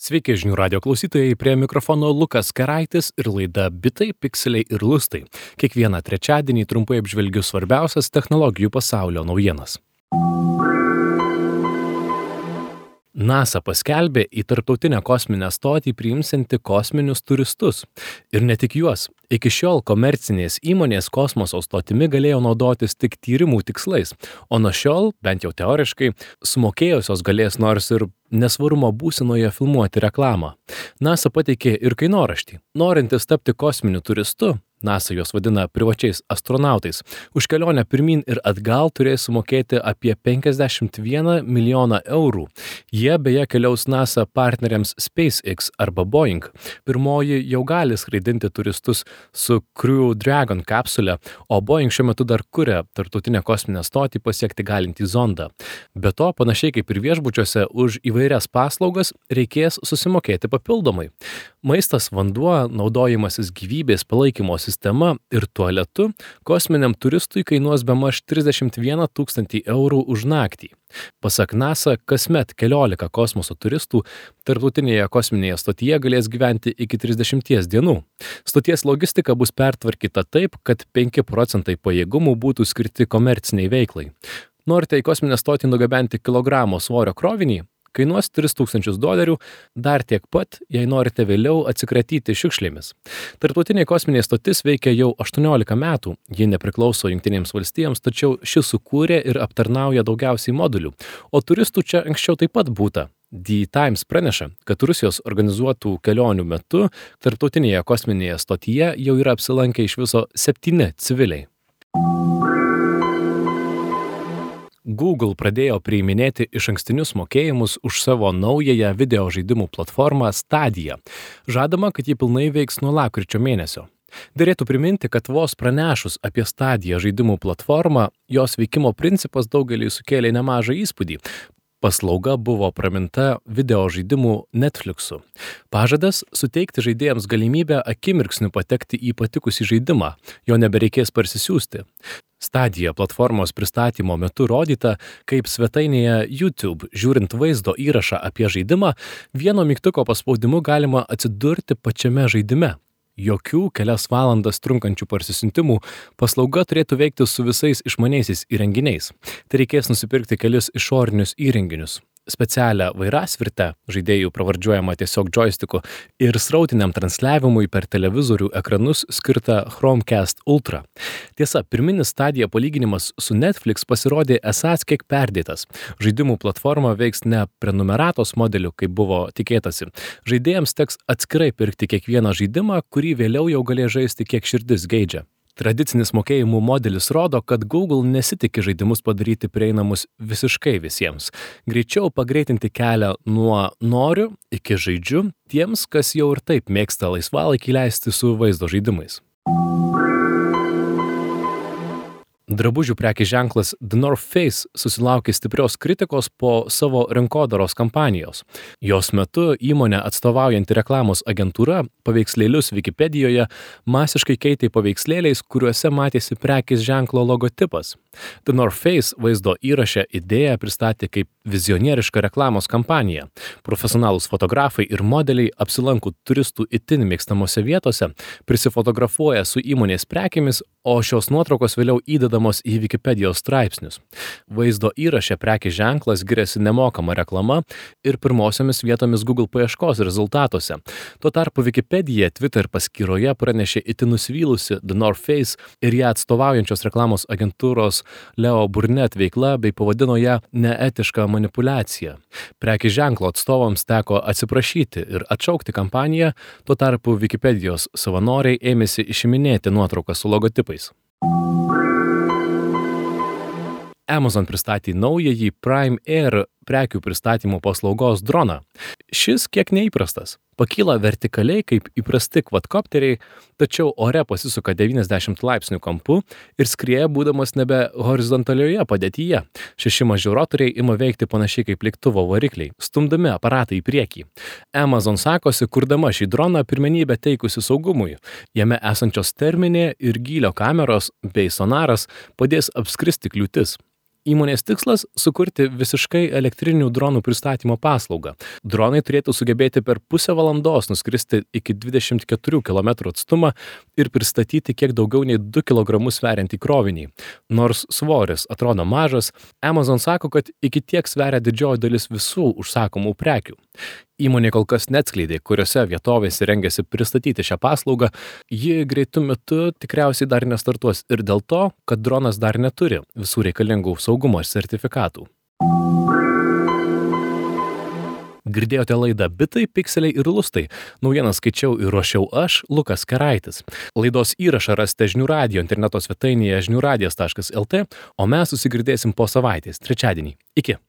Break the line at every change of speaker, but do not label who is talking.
Sveiki žinių radio klausytojai, prie mikrofono Lukas Keraitis ir laida Bitai, Pikseliai ir Lustai. Kiekvieną trečiadienį trumpai apžvelgiu svarbiausias technologijų pasaulio naujienas. NASA paskelbė į tarptautinę kosminę stotį priimsianti kosminius turistus. Ir ne tik juos. Iki šiol komercinės įmonės kosmoso stotimi galėjo naudotis tik tyrimų tikslais, o nuo šiol, bent jau teoriškai, sumokėjusios galės nors ir nesvarumo būsenoje filmuoti reklamą. NASA pateikė ir kainoraštį. Norintis tapti kosminiu turistu, NASA juos vadina privačiais astronautais, už kelionę pirmyn ir atgal turės sumokėti apie 51 milijoną eurų. Jie beje keliaus NASA partneriams SpaceX arba Boeing. Pirmoji jau gali skraidinti turistus su Crew Dragon kapsule, o Boeing šiuo metu dar kuria tarptautinę kosminę stotį pasiekti galintį zondą. Be to, panašiai kaip ir viešbučiuose, už įvairias paslaugas reikės susimokėti papildomai. Maistas, vanduo, naudojimasis gyvybės palaikymo sistema ir tualetu kosminiam turistui kainuos bemaž 31 000 eurų už naktį. Pasak NASA, kasmet 14 kosmoso turistų tarptautinėje kosminėje stotyje galės gyventi iki 30 dienų. Stoties logistika bus pertvarkyta taip, kad 5% pajėgumų būtų skirti komerciniai veiklai. Norite į kosminę stotį nugabenti kilogramo svorio krovinį? Kainuos $3,000, dar tiek pat, jei norite vėliau atsikratyti šiukšlėmis. Tarptautinė kosminė stotis veikia jau 18 metų, ji nepriklauso Jungtinėms valstijoms, tačiau ši sukūrė ir aptarnauja daugiausiai modulių, o turistų čia anksčiau taip pat būta. The Times praneša, kad Rusijos organizuotų kelionių metu tarptautinėje kosminėje stotyje jau yra apsilankę iš viso 7 civiliai. Google pradėjo priiminėti išankstinius mokėjimus už savo naująją video žaidimų platformą Stadia. Žadama, kad ji pilnai veiks nuo lapkričio mėnesio. Derėtų priminti, kad vos pranešus apie Stadia žaidimų platformą, jos veikimo principas daugeliui sukėlė nemažą įspūdį. Paslauga buvo praminta video žaidimų Netflixu. Pažadas suteikti žaidėjams galimybę akimirksniu patekti į patikusį žaidimą, jo nebereikės parsisiųsti. Stadia platformos pristatymo metu rodyta, kaip svetainėje YouTube, žiūrint vaizdo įrašą apie žaidimą, vieno mygtuko paspaudimu galima atsidurti pačiame žaidime. Jokių kelias valandas trunkančių parsisiuntimų, paslauga turėtų veikti su visais išmaniaisiais įrenginiais. Tai reikės nusipirkti kelis išorinius įrenginius. Specialią vairasvirtę, žaidėjų pravardžiuojama tiesiog joysticku, ir srautiniam transliavimui per televizorių ekranus skirtą Chromecast Ultra. Tiesa, pirminis Stadia palyginimas su Netflix pasirodė esąs kiek perdėtas. Žaidimų platforma veiks ne prenumeratos modeliu, kaip buvo tikėtasi. Žaidėjams teks atskirai pirkti kiekvieną žaidimą, kurį vėliau jau galės žaisti kiek širdis geidžia. Tradicinis mokėjimų modelis rodo, kad Google nesitiki žaidimus padaryti prieinamus visiškai visiems. Greičiau pagreitinti kelią nuo noriu iki žaidžiu tiems, kas jau ir taip mėgsta laisvalaikį leisti su vaizdo žaidimais. Drabužių prekės ženklas The North Face susilaukė stiprios kritikos po savo rinkodaros kampanijos. Jos metu įmonė atstovaujanti reklamos agentūra paveikslėlius Wikipedijoje masiškai keitė paveikslėliais, kuriuose matėsi prekės ženklo logotipas. The North Face vaizdo įraše idėją pristatė kaip vizionierišką reklamos kampaniją. Profesionalūs fotografai ir modeliai apsilanko turistų itin mėgstamose vietose, prisifotografuoja su įmonės prekėmis, o šios nuotraukos vėliau įdedamos į Wikipedijos straipsnius. Vaizdo įraše prekės ženklas giriasi nemokama reklama ir pirmosiomis vietomis Google paieškos rezultatuose. Tuo tarpu Wikipedija Twitter paskyroje pranešė itin nusivylusi The North Face ir ją atstovaujančios reklamos agentūros Leo Burnett veikla bei pavadino ją neetišką manipuliaciją. Prekės ženklo atstovams teko atsiprašyti ir atšaukti kampaniją, tuo tarpu Wikipedijos savanoriai ėmėsi išiminėti nuotrauką su logotipais. Amazon pristatė naująjį Prime Air prekių pristatymo paslaugos droną. Šis kiek neįprastas. Pakyla vertikaliai kaip įprasti kvadkopteriai, tačiau ore pasisuka 90 laipsnių kampu ir skrieja būdamas nebe horizontalioje padėtyje. 6 maži rotoriai ima veikti panašiai kaip lėktuvo varikliai, stumdami aparatą į priekį. Amazon sakosi, kurdama šį droną pirmenybę teikusi saugumui. Jame esančios terminė ir gylio kameros bei sonaras padės apskristi kliūtis. Įmonės tikslas – sukurti visiškai elektrinių dronų pristatymo paslaugą. Dronai turėtų sugebėti per pusę valandos nuskristi iki 24 km atstumą ir pristatyti kiek daugiau nei 2 kg sveriantį krovinį. Nors svoris atrodo mažas, Amazon sako, kad iki tiek sveria didžioji dalis visų užsakomų prekių. Įmonė kol kas neatskleidė, kuriuose vietovėse rengiasi pristatyti šią paslaugą. Ji greitu metu tikriausiai dar nestartuos ir dėl to, kad dronas dar neturi visų reikalingų saugumo sertifikatų. Girdėjote laidą Bitai, pikseliai ir lustai. Naujienas skaičiau ir ruošiau aš, Lukas Keraitis. Laidos įrašą rasite Žinių radijo interneto svetainėje žiniųradijas.lt, o mes susigirdėsim po savaitės, trečiadienį. Iki.